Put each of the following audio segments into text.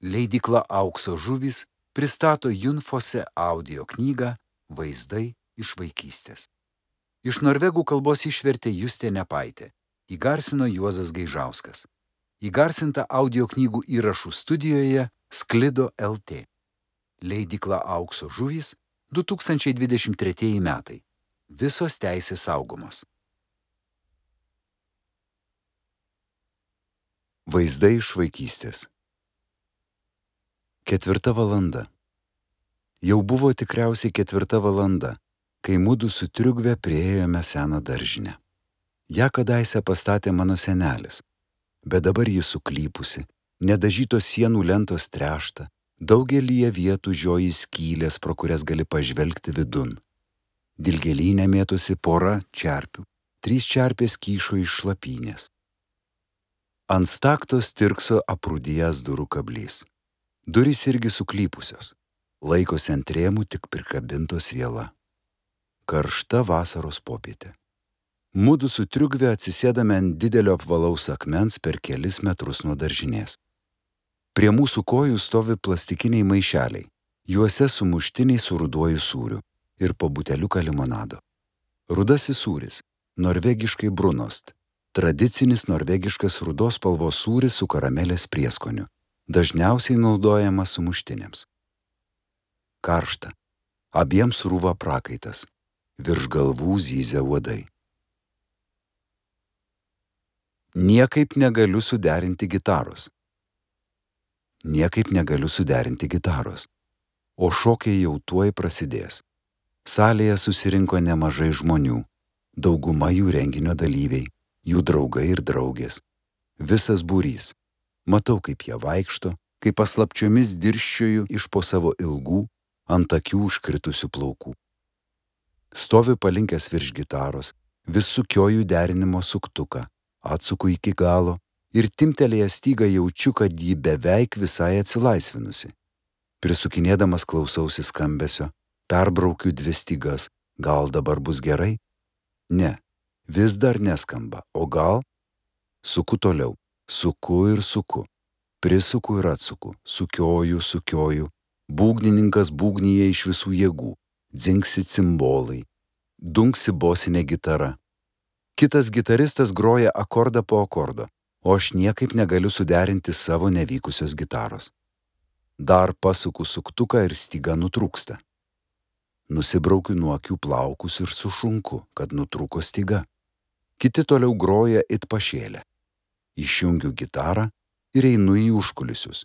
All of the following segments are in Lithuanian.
Leidykla Aukso žuvys pristato Junfose audio knygą Vaizdai iš vaikystės. Iš norvegų kalbos išvertė Justė Nepaitė, įgarsino Juozas Gaižauskas. Įgarsinta audio knygų įrašų studijoje Sklido LT. Leidykla Aukso žuvys 2023 metai. Visos teisės saugomos. Vaizdai iš vaikystės. 4 valanda. Jau buvo tikriausiai 4 valanda, kai mudu su Triugve priėjome seną daržinę. Ja kadaise pastatė mano senelis, bet dabar ji suklypusi, nedažytos sienų lentos trešta, daugelyje vietų žioji skylės, pro kurias gali pažvelgti vidun. Dilgėlyne mėtosi pora čerpių, 3 čerpės kyšo iš šlapynės. Ant staktos tirkso aprūdijęs durų kablys. Durys irgi suklypusios, laikosi ant rėmų tik prikabintos viela. Karšta vasaros popietė. Mudu su Triugve atsisėdame ant didelio apvalaus akmens per kelis metrus nuo daržinės. Prie mūsų kojų stovi plastikiniai maišeliai, juose sumuštiniai su ruduoju sūriu ir po buteliuką limonado. Rudasis sūris, norvegiškai brunost, tradicinis norvegiškas rudos spalvos sūris su karamelės prieskoniu, dažniausiai naudojamas sumuštiniams. Karšta, abiems rūva prakaitas, virš galvų zyzia uodai. Niekaip negaliu suderinti gitaros. Niekaip negaliu suderinti gitaros. O šokiai jau tuoj prasidės. Salėje susirinko nemažai žmonių, dauguma jų renginio dalyviai, jų draugai ir draugės. Visas būrys. Matau, kaip jie vaikšto, kaip paslapčiomis dirščioju iš po savo ilgų, ant akių užkritusių plaukų. Stoviu palinkęs virš gitaros, vis sukioju derinimo suktuką, atsuku iki galo ir timtelėjęs stygą jaučiu, kad ji beveik visai atsilaisvinusi. Prisukinėdamas klausausi skambesio, perbraukiu 2 stygas, gal dabar bus gerai? Ne, vis dar neskamba, o gal? Suku toliau, suku ir suku, prisuku ir atsuku, sukioju, būgnininkas būgnyje iš visų jėgų, dzingsi cimbolai, dunksi bosinė gitara. Kitas gitaristas groja akordą po akordo, o aš niekaip negaliu suderinti savo nevykusios gitaros. Dar pasuku suktuką ir styga nutrūksta. Nusibraukiu nuo akių plaukus ir sušunku, kad nutrūko styga. Kiti toliau groja it pašėlę. Išjungiu gitarą ir einu į užkulisius.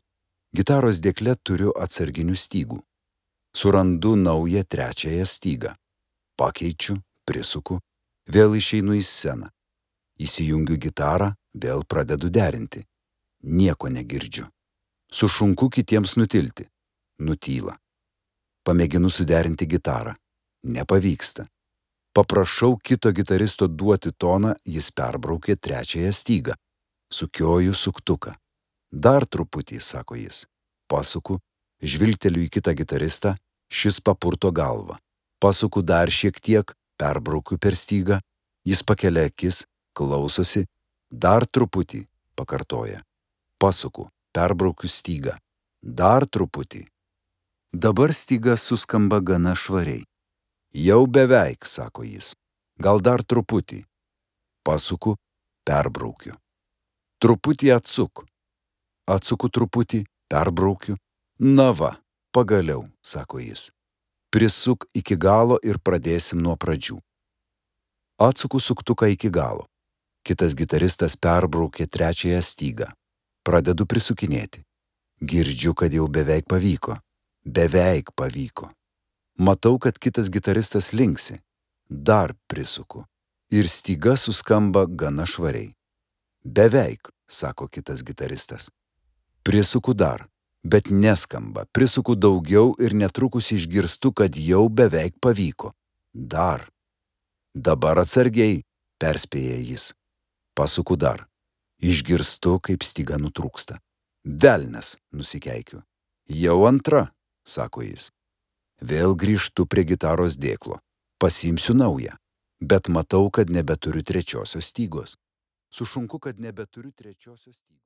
Gitaros dėkle turiu atsarginių stygų. Surandu naują 3 stygą. Pakeičiu, prisuku, vėl išeinu į sceną. Įsijungiu gitarą, vėl pradedu derinti. Nieko negirdžiu. Sušunku kitiems nutilti. Nutyla. Pamėginu suderinti gitarą. Nepavyksta. Paprašau kito gitaristo duoti toną, jis perbraukė 3 stygą. Sukioju suktuką. Dar truputį, sako jis. Pasuku, žvilgteliu į kitą gitaristą, šis papurto galvą. Pasuku dar šiek tiek, perbraukiu per stygą, jis pakelia akis, klausosi, dar truputį, pakartoja. Pasuku, perbraukiu stygą. Dar truputį. Dabar styga suskamba gana švariai. Jau beveik, sako jis. Gal dar truputį. Pasuku, perbraukiu. Truputį atsuk. Atsuku truputį, perbraukiu. Na va, pagaliau, sako jis. Prisuk iki galo ir pradėsim nuo pradžių. Atsuku suktuką iki galo. Kitas gitaristas perbraukė 3 stygą. Pradedu prisukinėti. Girdžiu, kad jau beveik pavyko. Beveik pavyko. Matau, kad kitas gitaristas linksi. Dar prisuku. Ir styga suskamba gana švariai. Beveik, sako kitas gitaristas. Prisuku dar, bet neskamba. Prisuku daugiau ir netrukus išgirstu, kad jau beveik pavyko. Dar. Dabar atsargiai, perspėja jis. Pasuku dar. Išgirstu, kaip styga nutrūksta. Velnias, nusikeikiu. Jau 2, sako jis. Vėl grįžtu prie gitaros dėklo. Pasiimsiu naują, bet matau, kad nebeturiu 3 stygos. Sušunku, kad nebeturiu 3 stygos.